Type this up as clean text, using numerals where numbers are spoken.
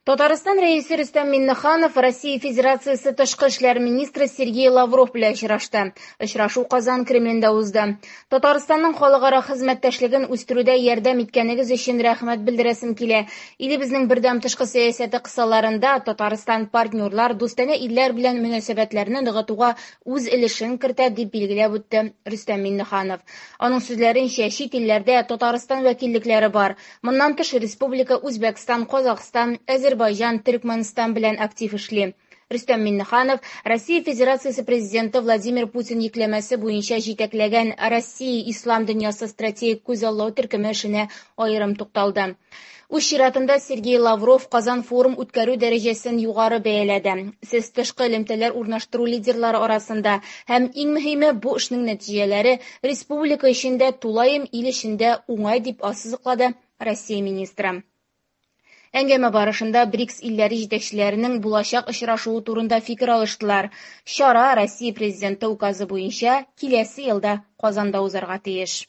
Татарстан Рәисе Рөстәм Миңнеханов Россия Федерациясе тышкы эшләр министры Сергей Лавров белән очрашты. Очрашу Казан Кремлендә узды. Татарстанның халыкара хезмәттәшлеген үстерүдә ярдәм иткәнегез өчен рәхмәт белдерәсем килә. Илебезнең бердәм тышкы сәясәте кысаларында Татарстан партнерлар, дустанә илләр белән мөнәсәбәтләрне ныгытуга үз өлешен кертә, дип билгеләп үтте Рөстәм Миңнеханов. Аның сүзләренчә, чит илләрдә Татарстан вәкиллекләре бар. Моннан тыш, республика Үзбәкстан, Казахстан, Әзербайҗан, Төркмәнстан белән актив эшли. Рөстәм Миңнеханов Россия Федерациясе Президенты Владимир Путин йөкләмәсе буенча җитәкләгән Россия Ислам дөньясы стратегик күзаллау төркеме эшенә аерым тукталды. Үз чиратында Сергей Лавров Казан форум үткәрү дәрәҗәсен югары бәяләде. Сез тышкы элемтәләр урнаштыру лидерлары арасында һәм иң мөһиме бу эшнең нәтиҗәләре республика өчен дә, тулаем ил өчен дә уңай, дип ассызыклады Россия министры. Әңгәмә барышында БРИКС илләре җитәкчеләренең булачак очрашуы турында фикер алыштылар. Чара Россия Президенты указы буенча киләсе елда Казанда узарга тиеш.